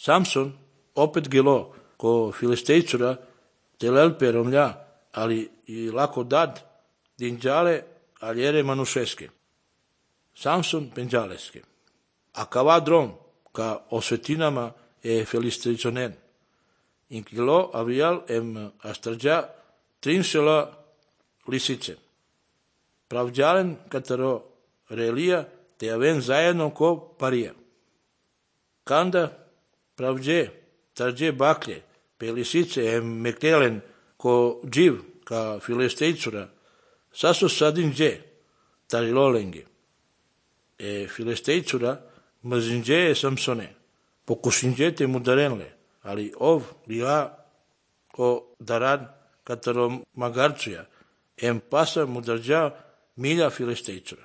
Samson opet gelo ko filistejcura telelpe romlja, ali i lako dad dinđale aljere manušeske. Samson penđaleske. A kava drom ka osvetinama filistejconen. Inkilo avial astrđa trinšela lisice. Pravđalen kataro relija te aven zajedno ko parija. Kanda pravđe, tarđe baklje, pe lisice mektelen ko dživ ka filistejcura, sasu sadin dje, tarilolenge. Filistejcura mrzinđe Samsone, pokušinđe te mu darenle, ali ov lila ko daran kataro magarcuja, pasa mu darđa milja filistejcura.